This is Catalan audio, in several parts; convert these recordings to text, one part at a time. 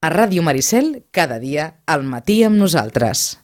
A Ràdio Maricel, cada dia, al matí amb nosaltres.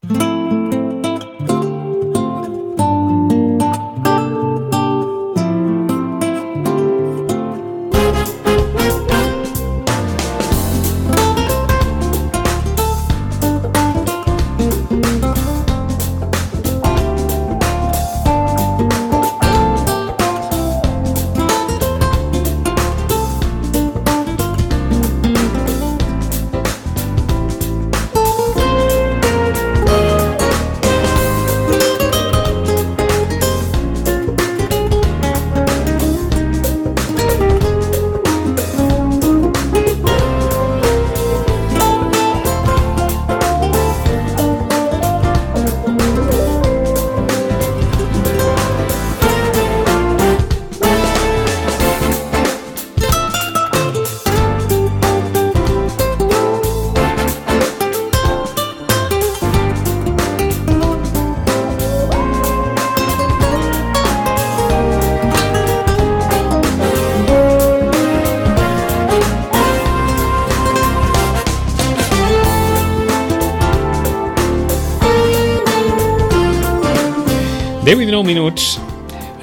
Deu i 19 minuts.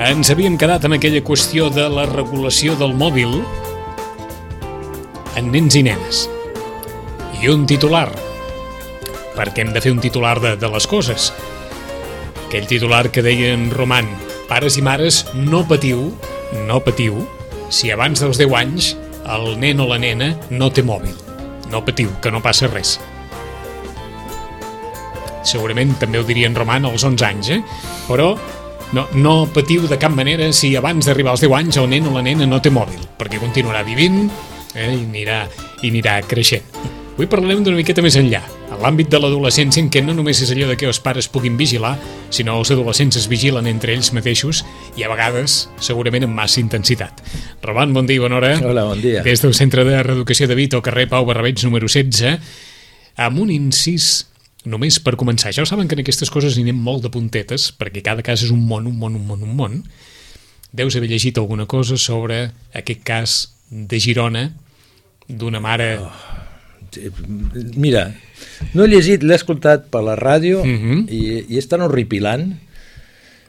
Ens havíem quedat amb aquella qüestió de la regulació del mòbil en nens i nenes. I un titular, perquè hem de fer un titular de les coses. Aquell titular que deia en Roman: pares i mares, no patiu, si abans dels 10 anys el nen o la nena no té mòbil. No patiu, que no passa res. Segurament també ho diria en Roman als 11 anys, però no patiu de cap manera si abans d'arribar als 10 anys el nen o la nena no té mòbil, perquè continuarà vivint i anirà creixent. Avui parlarem d'una miqueta més enllà, en l'àmbit de l'adolescència, en què no només és allò de que els pares puguin vigilar, sinó els adolescents es vigilen entre ells mateixos i a vegades, segurament, amb massa intensitat. Roman, bon dia i bona hora. Hola, bon dia. Des del Centre de Reeducació de Vito, carrer Pau Barrabeig, número 16, amb un incís només per començar. Ja ho saben que en aquestes coses hi anem molt de puntetes, perquè cada cas és un món. Deus haver llegit alguna cosa sobre aquest cas de Girona, d'una mare... Mira, no he llegit, l'he escoltat per la ràdio i és tan horripilant.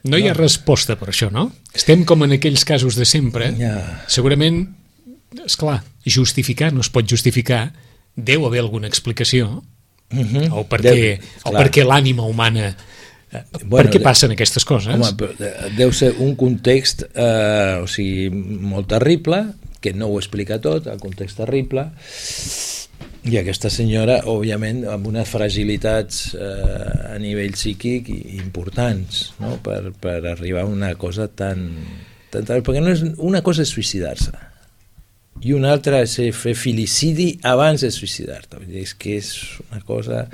No hi ha resposta per això, no? Estem com en aquells casos de sempre. Segurament, esclar, justificar no es pot justificar. Deu haver alguna explicació. O per què l'ànima humana per què passen aquestes coses? Home, deu ser un context molt terrible, que no ho explica tot, el context terrible, i aquesta senyora, òbviament, amb unes fragilitats a nivell psíquic importants, no? per arribar a una cosa tan perquè no és, una cosa és suïcidar-se i una altra és fer filicidi abans de suïcidar-te. És que és una cosa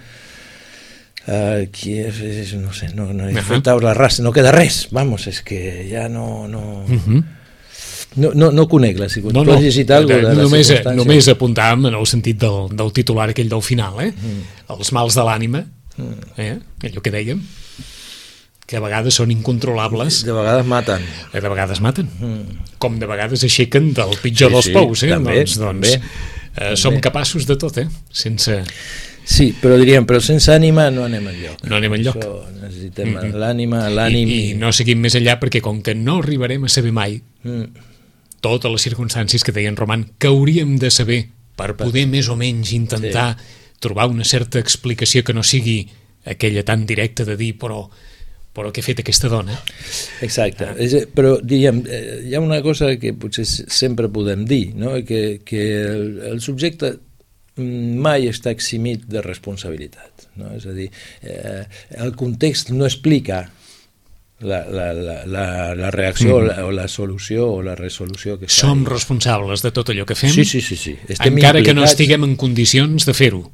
que és, no sé, no fet taula rasa, no queda res, vamos, és que ja no conec la circumstància. Tu has llegit alguna cosa de la circumstància? Només apuntàvem en el sentit del titular aquell del final, els mals de l'ànima, allò que dèiem, que a vegades són incontrolables. De vegades maten. Com de vegades aixequen del pitjor dels pous. També. Som capaços de tot, sense... Sí, però diríem, sense ànima no anem enlloc. No anem enlloc. Necessitem l'ànima, l'ànim... I no seguim més enllà, perquè com que no arribarem a saber mai totes les circumstàncies que deien Roman, que hauríem de saber per poder més o menys intentar trobar una certa explicació que no sigui aquella tan directa de dir però què ha fet aquesta dona? Exacte, però diríem, hi ha una cosa que potser sempre podem dir, no? que el subjecte mai està eximit de responsabilitat, no? És a dir, el context no explica la reacció o la solució o la resolució que fa. Som responsables de tot allò que fem? Sí. Encara que no estiguem en condicions de fer-ho.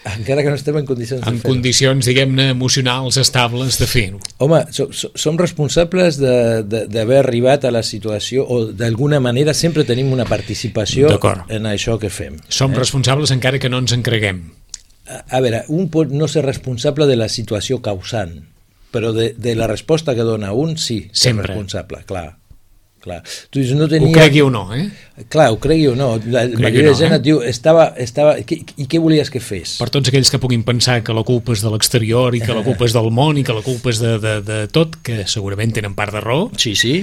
Encara que no estem en condicions de fer-ho. En condicions, diguem-ne, emocionals estables de fer-ho. Home, som responsables d'haver arribat a la situació, o d'alguna manera sempre tenim una participació en això que fem. Som responsables encara que no ens en creguem. A veure, un pot no ser responsable de la situació causant, però de la resposta que dona un, sí, sempre. És responsable, clar. clar. Tu dius, no tenia... Ho cregui o no, Clar, ho cregui o no. La majoria de gent et diu, estava... I què volies que fes? Per tots aquells que puguin pensar que la culpa és de l'exterior i que la culpa és del món i que la culpa és de tot, que segurament tenen part de raó, Sí, sí.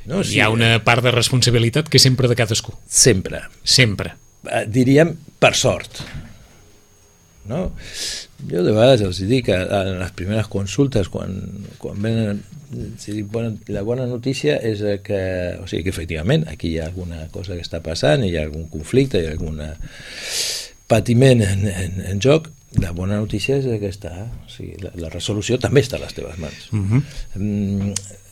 No, sí. hi ha una part de responsabilitat que és sempre de cadascú. Sempre. Sempre. Diríem, per sort. No? Jo de vegades els dic a les primeres consultes, quan venen, la bona notícia és que, o sigui, que efectivament aquí hi ha alguna cosa que està passant, hi ha algun conflicte, hi ha algun patiment en joc. La bona notícia és que o sigui, la resolució també està a les teves mans.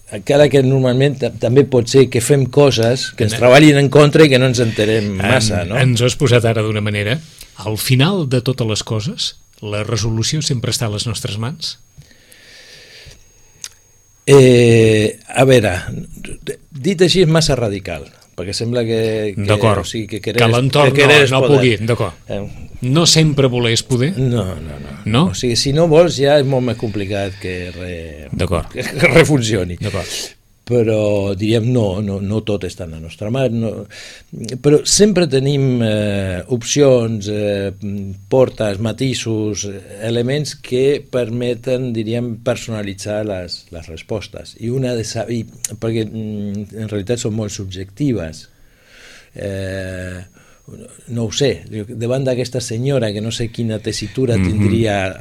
Encara que normalment també pot ser que fem coses que ens treballin en contra i que no ens enterem massa, no? Ens ho has posat ara d'una manera. Al final de totes les coses, la resolució sempre està a les nostres mans? A veure, dit així és massa radical, perquè sembla que d'acord, o sigui, que l'entorn no pugui, d'acord. No sempre voler és poder? No. O sigui, si no vols ja és molt més complicat que refuncioni. D'acord. Però diríem no tot està en la nostra mà, però sempre tenim opcions, portes, matisos, elements que permeten, diríem, personalitzar les respostes, i una de saber, perquè en realitat són molt subjectives. No ho sé, davant d'aquesta senyora que no sé quina tessitura tindria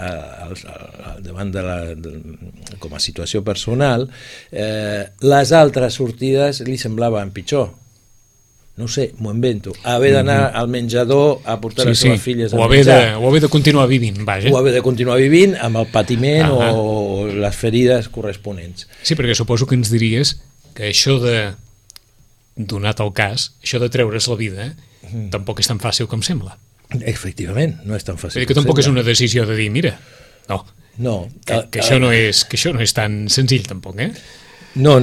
davant com a situació personal, les altres sortides li semblaven pitjor. No ho sé, m'ho invento. Haver d'anar al menjador a portar les seves filles a menjar. O haver de continuar vivint, vaja. O haver de continuar vivint amb el patiment o les ferides corresponents. Sí, perquè suposo que ens diries que això donat el cas, això de treure's la vida, tampoc és tan fàcil com sembla. Efectivament, no és tan fàcil. Que tampoc és una decisió de dir, mira, que això no és tan senzill tampoc, No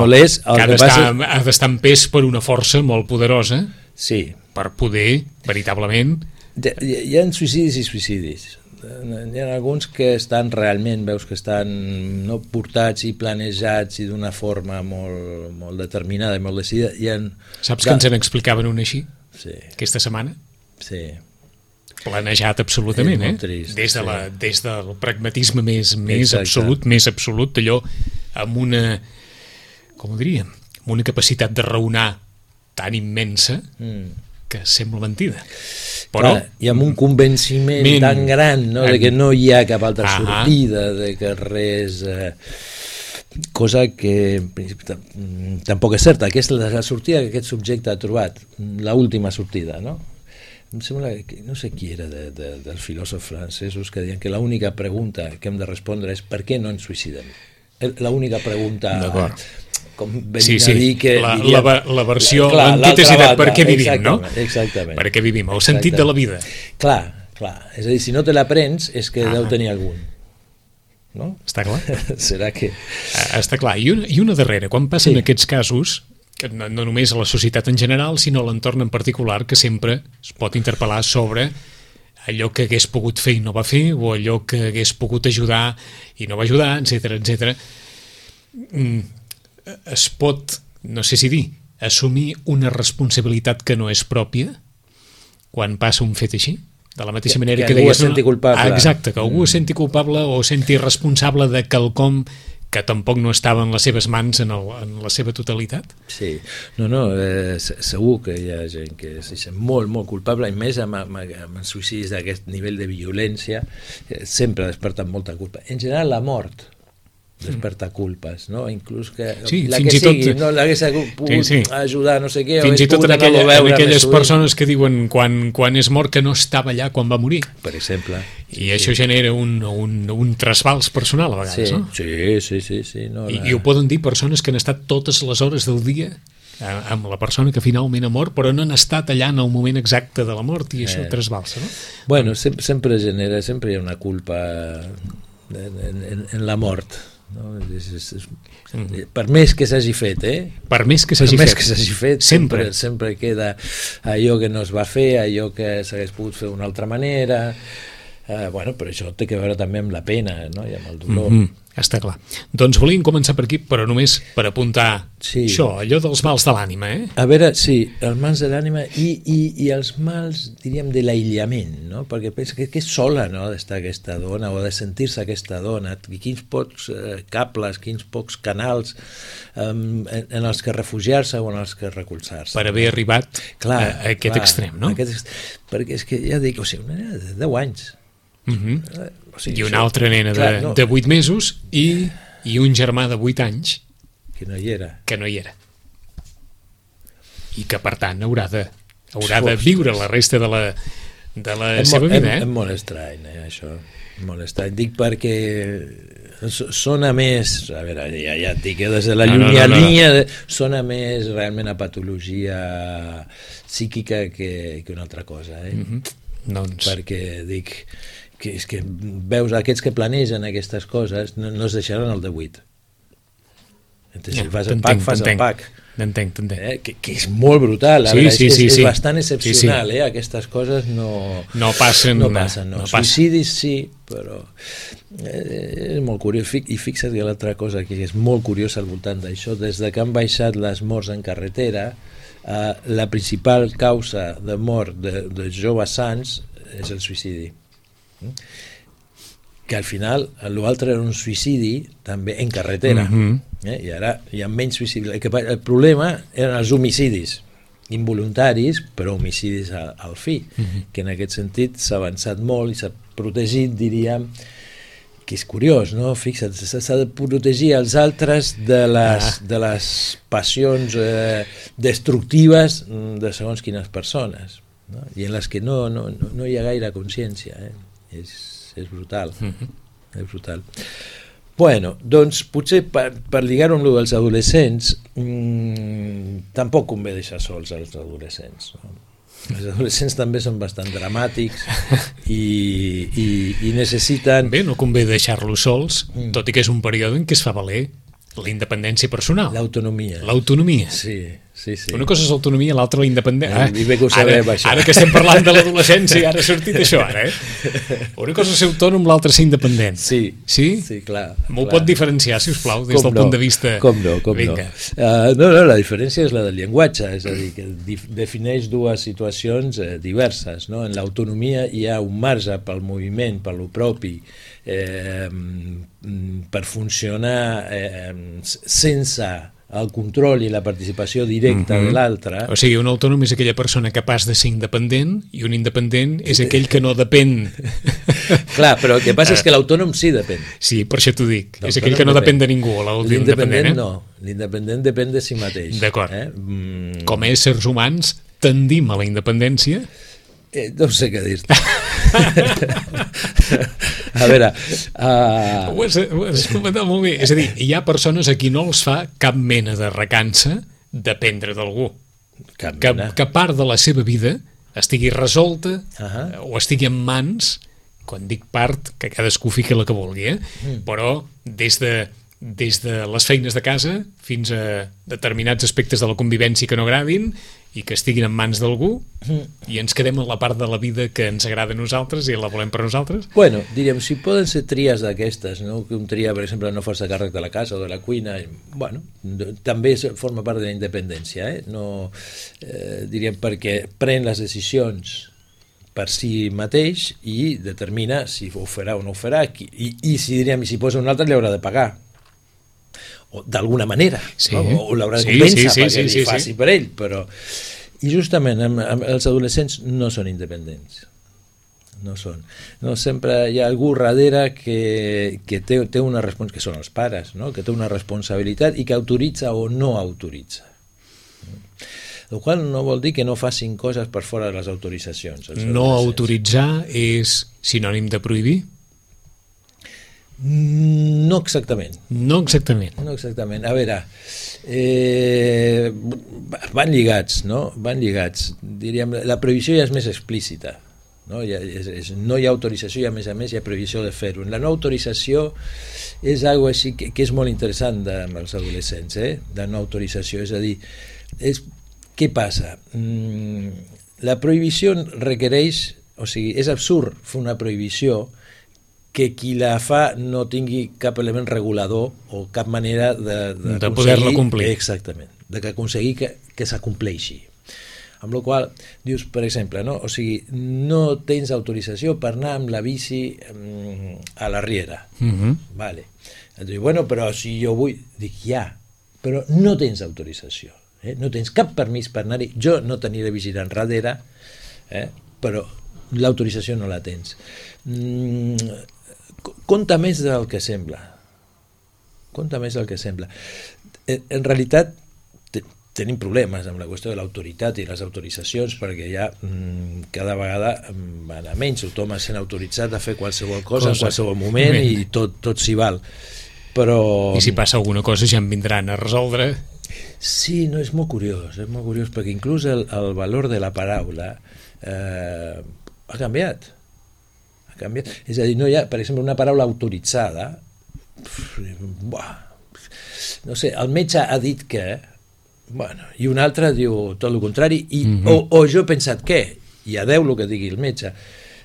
l'és. Que ha d'estar en pes per una força molt poderosa, sí, per poder, veritablement... Hi ha suïcidis i suïcidis. Hi ha alguns que estan realment, veus que estan portats i planejats i d'una forma molt determinada i molt decidida. Saps que ens n'explicaven una així? Sí. Aquesta setmana? Sí. Planejat absolutament, trist, des del pragmatisme més absolut, allò amb una, com ho diríem, amb una capacitat de raonar tan immensa que sembla mentida. Però, i amb un convenciment tan gran, de que no hi ha cap altra sortida, de que res... cosa que tampoc és certa, que és la sortida que aquest subjecte ha trobat, l'última sortida, no? Em sembla que no sé qui era dels filòsofs francesos que deien que l'única pregunta que hem de respondre és per què no ens suïcidem. L'única pregunta... Com venint a dir que... La versió, l'antítesi de per què vivim, no? Exactament. Per què vivim, el sentit de la vida. Clar. És a dir, si no te la prens és que deu tenir algun. No? Està clar? Serà que... Està clar. I una darrera, quan passen aquests casos, no només a la societat en general, sinó a l'entorn en particular, que sempre es pot interpel·lar sobre allò que hagués pogut fer i no va fer, o allò que hagués pogut ajudar i no va ajudar, etc. Es pot, no sé si dir, assumir una responsabilitat que no és pròpia quan passa un fet així? De la mateixa manera que algú es senti culpable. Exacte, que algú es senti culpable o senti responsable de quelcom que tampoc no estava en les seves mans en la seva totalitat. Sí, segur que hi ha gent que se sent molt, molt culpable, i més amb suïcidis d'aquest nivell de violència, sempre desperten molta culpa. En general, la mort desperta culpes, no? Inclús que la que sigui, no l'hagués pogut ajudar, no sé què, fins i tot en aquelles persones que diuen quan és mort que no estava allà quan va morir, per exemple, i això genera un trasbals personal a vegades, no? Sí. I ho poden dir persones que han estat totes les hores del dia amb la persona que finalment ha mort, però no han estat allà en el moment exacte de la mort, i això trasbalsa, no? Bueno, sempre hi ha una culpa en la mort, no? Per més que s'hagi fet, per més que s'hagi fet, sempre queda allò que no es va fer, allò que s'hagués pogut fer d'una altra manera. Però això té que veure també amb la pena, no? I amb el dolor. Està clar. Doncs volíem començar per aquí, però només per apuntar això, allò dels mals de l'ànima, A veure, sí, els mals de l'ànima i els mals, diríem, de l'aïllament, no? Perquè pensa que és sola, no?, d'estar aquesta dona o de sentir-se aquesta dona, i quins pocs cables, quins pocs canals en els que refugiar-se o en els que recolzar-se. Per haver arribat a aquest extrem, no? Perquè és que, ja dic, o sigui, una nena de 10 anys. O sigui, i una altra nena de 8 mesos i un germà de 8 anys que no hi era i que per tant haurà de viure la resta de la seva vida. És molt estrany, això, molt estrany. Dic perquè sona més, a veure, ja et dic, des de la llunyania sona més realment a patologia psíquica que una altra cosa, doncs... perquè dic que és que veus aquests que planegen aquestes coses no es deixaran el de 8. Si fas el pack, fas el pack. T'entenc. Que és molt brutal, és bastant excepcional, aquestes coses no passen. Suïcidis sí, però és molt curiós. I fixa't que l'altra cosa que és molt curiosa al voltant d'això, des de que han baixat les morts en carretera, la principal causa de mort de joves sants és el suïcidi, que al final l'altre era un suïcidi també en carretera, i ara hi ha menys suïcidis. El problema eren els homicidis involuntaris, però homicidis al fi, que en aquest sentit s'ha avançat molt i s'ha protegit, diríem, que és curiós, no? Fixa't, s'ha de protegir els altres de les passions destructives de segons quines persones, no? I en les que no hi ha gaire consciència, és brutal, és brutal. Bueno, doncs potser per lligar-ho amb dels adolescents, tampoc convé deixar sols els adolescents, no? Els adolescents també són bastant dramàtics i necessiten... Bé, no convé deixar-los sols, tot i que és un període en què es fa valer la independència personal. L'autonomia. Sí. Una cosa és l'autonomia, l'altra la independència. Ara que estem parlant de l'adolescència, ara ha sortit això, ara, Una cosa és ser autònom, l'altra ser independent. Sí, clar. M'ho pot diferenciar, si us plau, des del punt de vista... Com no. No, la diferència és la del llenguatge, és a dir, que defineix dues situacions diverses, no? En l'autonomia hi ha un marge pel moviment, per lo propi, per funcionar sense el control i la participació directa de l'altre. O sigui, un autònom és aquella persona capaç de ser independent i un independent és aquell que no depèn. Clar, però el que passa és que l'autònom sí depèn. Sí, per això t'ho dic. És aquell que no depèn de ningú. L'independent no. L'independent depèn de si mateix. D'acord. Com a éssers humans tendim a la independència? No sé què dir-te. A veure... Ho has comentat molt bé. És a dir, hi ha persones a qui no els fa cap mena de recança dependre d'algú. Que part de la seva vida estigui resolta o estigui en mans, quan dic part, que cadascú fiqui la que vulgui, però des de les feines de casa fins a determinats aspectes de la convivència que no agradin i que estiguin en mans d'algú i ens quedem en la part de la vida que ens agrada a nosaltres i la volem per nosaltres. Bueno, diríem, si poden ser tries d'aquestes, no? Que un tria, per exemple, no fer-se càrrec de la casa o de la cuina, bueno, també forma part de la independència, no, diríem, perquè pren les decisions per si mateix i determina si ho farà o no ho farà i si, diríem, si posa un altre li haurà de pagar o d'alguna manera, o l'haurà de compensar perquè li faci per ell, però i justament els adolescents no són independents, no són, sempre hi ha algú darrere que té una responsabilitat, que són els pares, no? Que té una responsabilitat i que autoritza o no autoritza, el qual no vol dir que no facin coses per fora de les autoritzacions. No autoritzar és sinònim de prohibir? No exactament. A veure, van lligats, no? Diríem, la prohibició ja és més explícita, no? No hi ha autorització i a més hi ha prohibició de fer-ho. La no autorització és algo així que és molt interessant amb els adolescents, de no autorització, és a dir, què passa? La prohibició requereix, o sigui, és absurd fer una prohibició que qui la fa no tingui cap element regulador o cap manera de poder-la complir. Exactament, de que aconseguir que s'acompleixi. Amb la qual dius, per exemple, no? O sigui, no tens autorització per anar amb la bici a la riera. Vale. Et diu, bueno, però si jo vull... Dic, ja, però no tens autorització. No tens cap permís per anar-hi. Jo no t'aniré vigilant darrere, però l'autorització no la tens. Compta més del que sembla. Compta més del que sembla. En realitat, tenim problemes amb la qüestió de l'autoritat i les autoritzacions, perquè ja cada vegada van a menys, tothom es sent autoritzat a fer qualsevol cosa en qualsevol moment i tot s'hi val. Però... I si passa alguna cosa ja en vindran a resoldre. Sí, no, és molt curiós, perquè inclús el valor de la paraula ha canviat. És a dir, no hi ha, per exemple, una paraula autoritzada, no sé, el metge ha dit que, bueno, i un altre diu tot el contrari, o jo he pensat què, i a Déu el que digui el metge.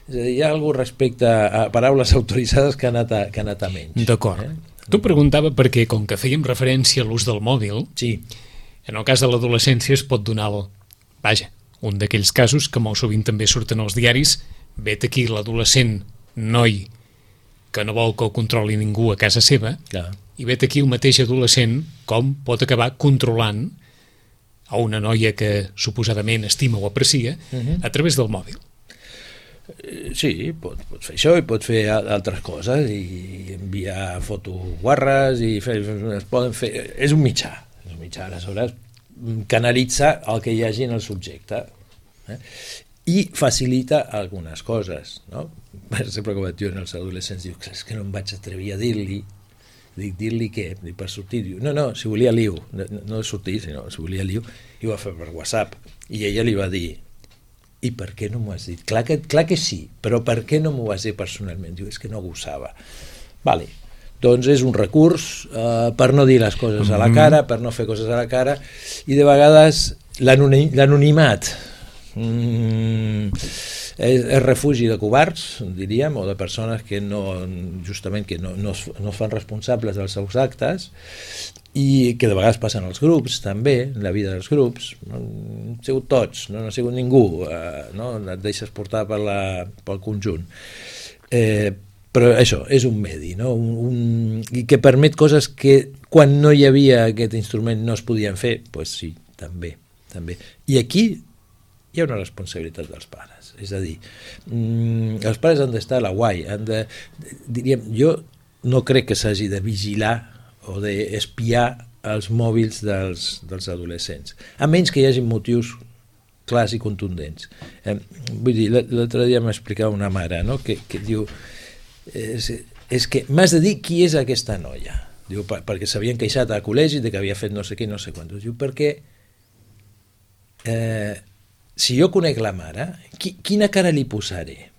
És a dir, hi ha alguna respecte a paraules autoritzades que ha anat a menys. D'acord. Tu preguntava perquè, com que fèiem referència a l'ús del mòbil, sí. En el cas de l'adolescència es pot donar un d'aquells casos que molt sovint també surten als diaris. Vet aquí l'adolescent noi que no vol que el controli ningú a casa seva, clar. I vet aquí el mateix adolescent com pot acabar controlant a una noia que suposadament estima o aprecia a través del mòbil. Sí, pot fer això i pot fer altres coses i enviar fotos guarres i es poden fer... És un mitjà, aleshores canalitza el que hi hagi en el subjecte i facilita algunes coses, no? Per exemple, com et diuen els adolescents, diu, és que no em vaig atrevir a dir-li. Dic, dir-li què? Dic, per sortir, diu, no, si volia liu, no sortir, sinó si volia liu, i ho va fer per WhatsApp, i ella li va dir, i per què no m'ho has dit? Clar que sí, però per què no m'ho has dit personalment? Diu, és que no gosava. Vale, doncs és un recurs per no dir les coses a la cara, per no fer coses a la cara, i de vegades l'anonimat és refugi de covards, diríem, o de persones que justament no es fan responsables dels seus actes, i que de vegades passen als grups també, en la vida dels grups. No han sigut tots, no ha sigut ningú, no? Et deixes portar pel conjunt, però això és un medi, no? I que permet coses que quan no hi havia aquest instrument no es podien fer, doncs sí, també. I aquí hi ha una responsabilitat dels pares, és a dir, els pares han d'estar a la guai, diríem, jo no crec que s'hagi de vigilar o d'espiar els mòbils dels adolescents, a menys que hi hagi motius clars i contundents. Vull dir, l'altre dia m'explicava una mare, no? que diu, és que m'has de dir qui és aquesta noia. Diu, perquè s'havien queixat al col·legi de que havia fet no sé què, no sé quant. Diu, perquè si jo conec la mare, quina cara li posaré?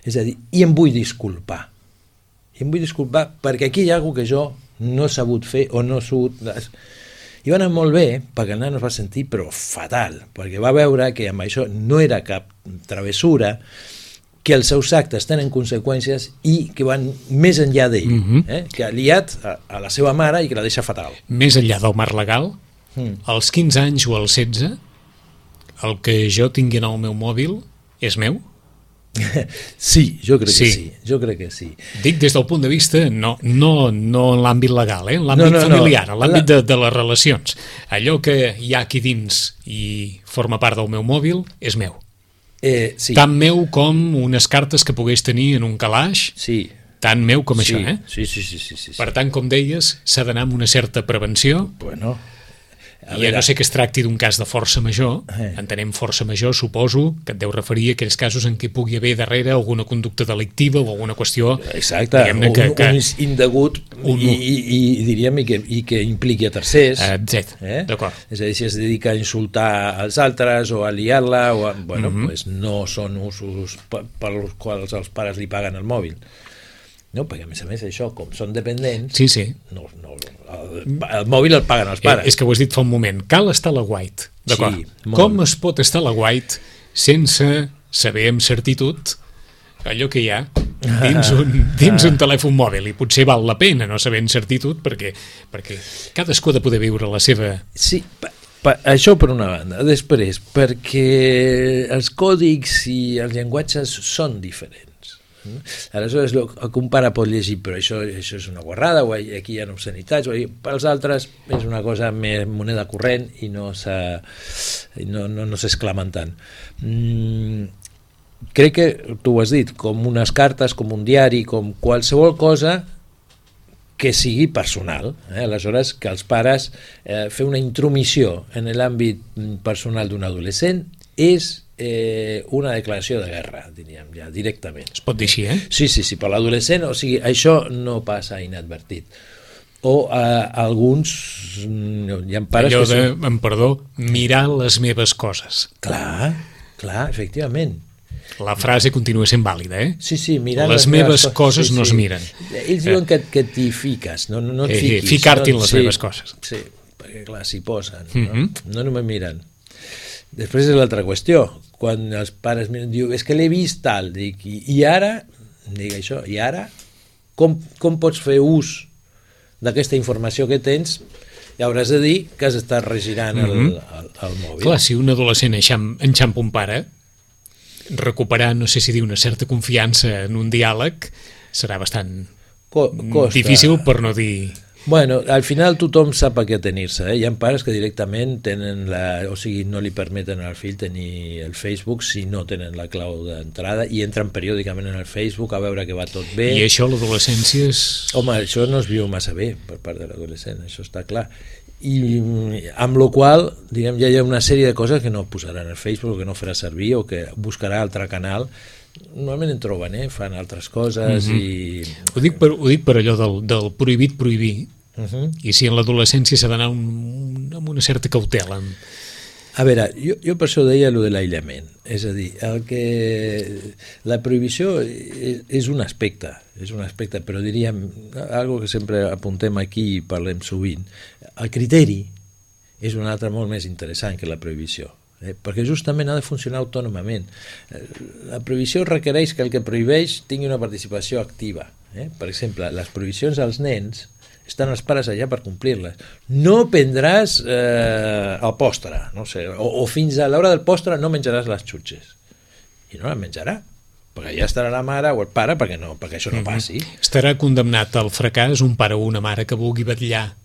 És a dir, i em vull disculpar. Perquè aquí hi ha alguna que jo no he sabut fer o no he sabut... I va anar molt bé, perquè el nano es va sentir però fatal, perquè va veure que amb això no era cap travessura, que els seus actes tenen conseqüències i que van més enllà d'ell, que ha liat a la seva mare i que la deixa fatal. Més enllà del marc legal, als 15 anys o als 16, el que jo tingui en el meu mòbil és meu? Sí, jo crec que sí. Dic des del punt de vista, no en l'àmbit legal, en l'àmbit familiar, en l'àmbit de les relacions. Allò que hi ha aquí dins i forma part del meu mòbil és meu. Sí. Tant meu com unes cartes que pogués tenir en un calaix, tant meu com això. Sí. Per tant, com deies, s'ha d'anar amb una certa prevenció. Bueno, ja no sé que es tracti d'un cas de força major, entenem força major, suposo que et deu referir a aquells casos en què pugui haver darrere alguna conducta delictiva o alguna qüestió... Exacte, un indegut i diríem i que impliqui a tercers. D'acord. És a dir, si es dedica a insultar als altres o a liar-la, pues no són usos pels quals els pares li paguen el mòbil. No, perquè a més això, com són dependents, el mòbil el paguen els pares. És que ho has dit fa un moment, cal estar a la guait, d'acord? Sí, com es pot estar a la guait sense saber amb certitud allò que hi ha dins un telèfon mòbil, i potser val la pena no saber en certitud perquè cadascú ha de poder viure la seva... Sí, això per una banda. Després, perquè els còdics i els llenguatges són diferents. Aleshores, un pare pot llegir, però això és una guarrada, o aquí hi ha obscenitats, pels altres és una cosa més moneda corrent i no s'exclamen tant. Crec que, tu ho has dit, com unes cartes, com un diari, com qualsevol cosa que sigui personal. Aleshores, que els pares fer una intromissió en l'àmbit personal d'un adolescent és una declaració de guerra, diríem, ja directament. Es pot dir així, eh? Sí, per l'adolescent, o sigui, això no passa inadvertit. O alguns hi ha pares allò que de, amb perdó, mirar les meves coses. Clar, efectivament. La frase continua sent vàlida, eh? Sí, mirant les meves coses no es miren. Ells diuen que t'hi fiques, no et fiquis. Ficar-t'hi en les meves coses. Sí, perquè clar, s'hi posen, no només miren. Després és l'altra qüestió, quan els pares miren, diu, és que l'he vist tal, dic, i ara, i ara, com pots fer ús d'aquesta informació que tens? I hauràs de dir que has estat regirant el mòbil. Clar, si un adolescent enxampa un pare, recuperar, no sé si dir, una certa confiança en un diàleg serà bastant difícil, per no dir... Bueno, al final tothom sap a què atenir-se. Hi ha pares que directament tenen o sigui, no li permeten al fill tenir el Facebook si no tenen la clau d'entrada i entren periòdicament en el Facebook a veure que va tot bé. I això, l'adolescència és... Home, això no es viu massa bé per part de l'adolescent, això està clar. I amb la qual, diguem, ja hi ha una sèrie de coses que no posaran al Facebook o que no farà servir o que buscarà altre canal. Normalment en troben, fan altres coses i... Ho dic per allò del prohibit prohibir, i si en l'adolescència s'ha d'anar amb una certa cautela. A veure, jo per això deia allò de l'aïllament, és a dir, la prohibició és un aspecte, però diríem, algo que sempre apuntem aquí i parlem sovint, el criteri és un altre molt més interessant que la prohibició. Perquè justament ha de funcionar autònomament. La prohibició requereix que el que prohibeix tingui una participació activa. Per exemple, les prohibicions als nens estan els pares allà per complir-les. No prendràs el postre, no sé, o fins a l'hora del postre no menjaràs les xutxes. I no les menjarà, perquè ja estarà la mare o el pare perquè això no passi. Estarà condemnat al fracàs un pare o una mare que vulgui vetllar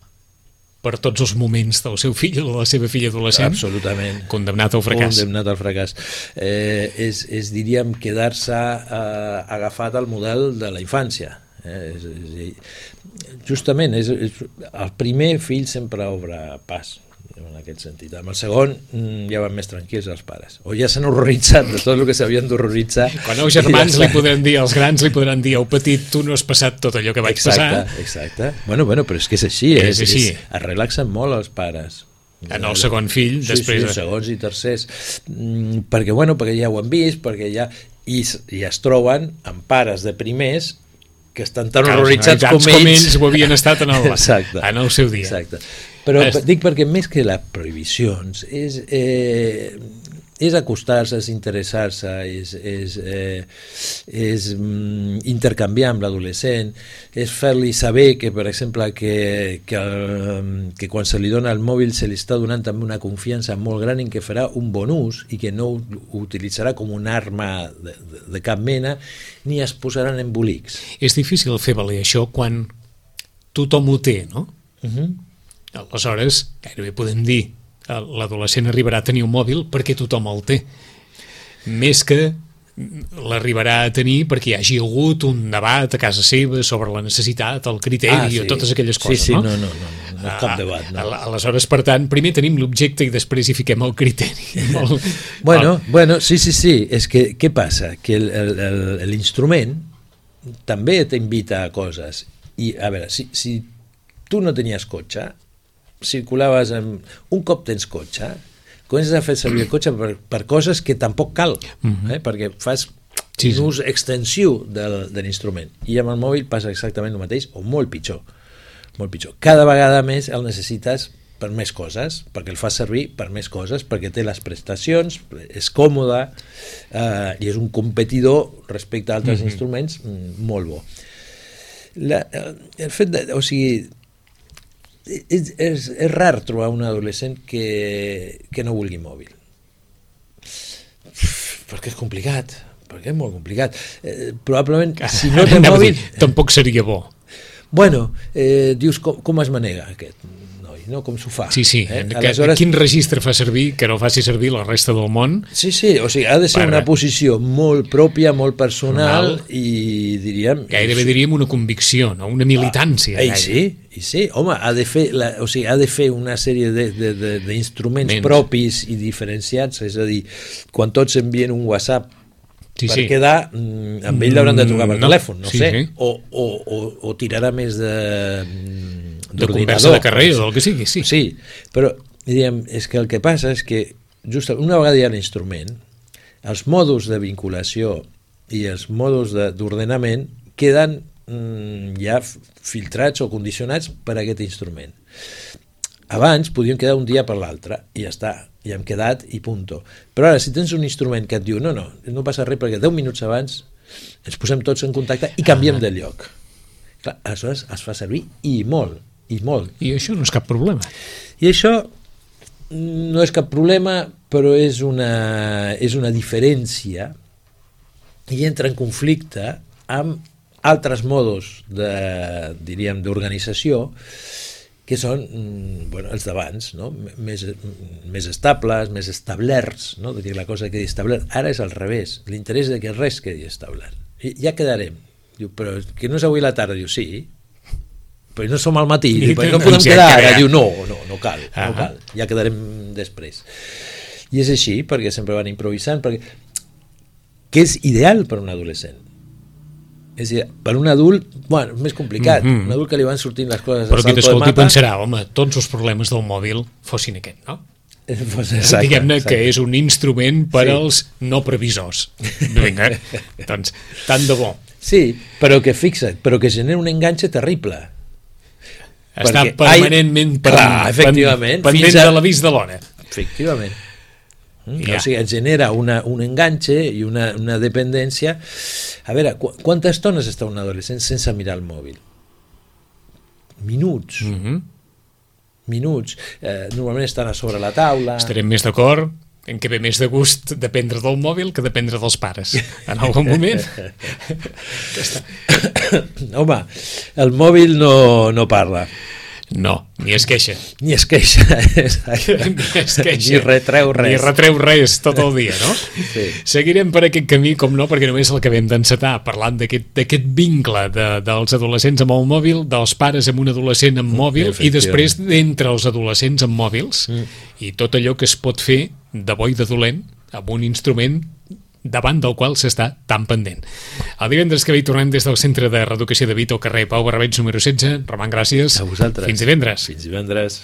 per tots els moments del seu fill o de la seva filla adolescent. Absolutament. Condemnat al fracàs. Condemnat al fracàs. És diríem, quedar-se agafat al model de la infància. Justament, el primer fill sempre obre pas, en aquest sentit. Amb el segon ja van més tranquils els pares. O ja s'han horroritzat de tot el que s'havien d'horroritzar. Quan els germans li podran dir, els grans li podran dir, petit, tu no has passat tot allò que vaig passar. Exacte. Bueno, però és que és així. Es relaxen molt els pares. En el segon fill, després... Sí, segons i tercers. Perquè ja ho han vist, i es troben amb pares de primers que estan tan horroritzats com ells ho havien estat en el seu dia. Exacte. Però dic perquè més que les prohibicions és acostar-se, és interessar-se, és intercanviar amb l'adolescent, és fer-li saber que, per exemple, que quan se li dona el mòbil se li està donant també una confiança molt gran en què farà un bon ús i que no ho utilitzarà com una arma de cap mena ni es posaran embolics. És difícil fer valer això quan tothom ho té, no? Aleshores, gairebé podem dir l'adolescent arribarà a tenir un mòbil perquè tothom el té, més que l'arribarà a tenir perquè hi hagi hagut un debat a casa seva sobre la necessitat, el criteri o totes aquelles coses, no? No, cap debat. No. Aleshores, per tant, primer tenim l'objecte i després hi fiquem el criteri. Bueno, sí, és que què passa? Que l'instrument també t'invita a coses i, a veure, si tu no tenies cotxe, circulaves un cop tens cotxe, comences a fer servir el cotxe per coses que tampoc cal, perquè fas un ús extensiu de l'instrument, i amb el mòbil passa exactament el mateix o molt pitjor. Cada vegada més el necessites per més coses, perquè el fa servir per més coses, perquè té les prestacions, és còmode i és un competidor respecte a altres instruments molt bo. El fet de, o sigui, és rar trobar un adolescent que no vulgui mòbil, perquè és complicat, perquè és molt complicat. Probablement, si no té mòbil... Tampoc seria bo. Bueno, dius, com es manega aquest noi, no? Com s'ho fa? Sí, Aleshores... Quin registre fa servir que no faci servir la resta del món? Sí, o sigui, ha de ser una posició molt pròpia, molt personal i diríem... Gairebé diríem una convicció, no? Una militància. Sí, home, ha de fer una sèrie d'instruments propis i diferenciats, és a dir, quan tots envien un WhatsApp per quedar, amb ell l'hauran de trucar per telèfon, no sé, o tirarà més de conversa de carrer o el que sigui, sí, però diríem, és que el que passa és que just una vegada hi ha l'instrument, els mòduls de vinculació i els mòduls d'ordenament queden ja filtrats o condicionats per aquest instrument. Abans podíem quedar un dia per l'altre i ja està, ja hem quedat i punto. Però ara, si tens un instrument que et diu no passa res perquè 10 minuts abans ens posem tots en contacte i canviem de lloc. Clar, aleshores es fa servir i molt. I això no és cap problema. I això no és cap problema, però és una diferència i entra en conflicte amb altres modos d'organització que són els d'abans, no? Més estables, més establerts, no? De dir la cosa quedi establert. Ara és al revés, l'interès de que res quedi establert. I ja quedarem. Diu, però que no és avui la tarda. Diu, sí, però no som al matí. Diu, no podem quedar ara. Diu, no cal, ja quedarem després. I és així, perquè sempre van improvisant, que és ideal per un adolescent. És a dir, per un adult, bueno, és més complicat. Un adult que li van sortint les coses però qui t'escolti pensarà, home, tots els problemes del mòbil fossin aquest, no? Diguem-ne que és un instrument per als no previsors. Vinga, doncs, tant de bo. Sí, però que fixa't, però que genera un enganxe terrible. Està permanentment pendent de l'avís de l'hora. Efectivament. O sigui, et genera un enganxe i una dependència. A veure, quantes estones està un adolescent sense mirar el mòbil? Minuts. Minuts. Normalment estan a sobre la taula. Estarem més d'acord en què ve més de gust dependre del mòbil que dependre dels pares en algun moment. Home, el mòbil no parla. No, ni es queixa. Ni retreu res. Ni retreu res tot el dia, no? Sí. Seguirem per aquest camí, com no, perquè només l'acabem d'encetar, parlant d'aquest vincle dels adolescents amb el mòbil, dels pares amb un adolescent amb mòbil, i després d'entre els adolescents amb mòbils, i tot allò que es pot fer de bo i de dolent amb un instrument davant del qual s'està tan pendent. El divendres que ve tornem des del Centre de Reeducació de Vito, al carrer Pau Barrabets número 16. Roman, gràcies. A vosaltres. Fins divendres. Fins divendres.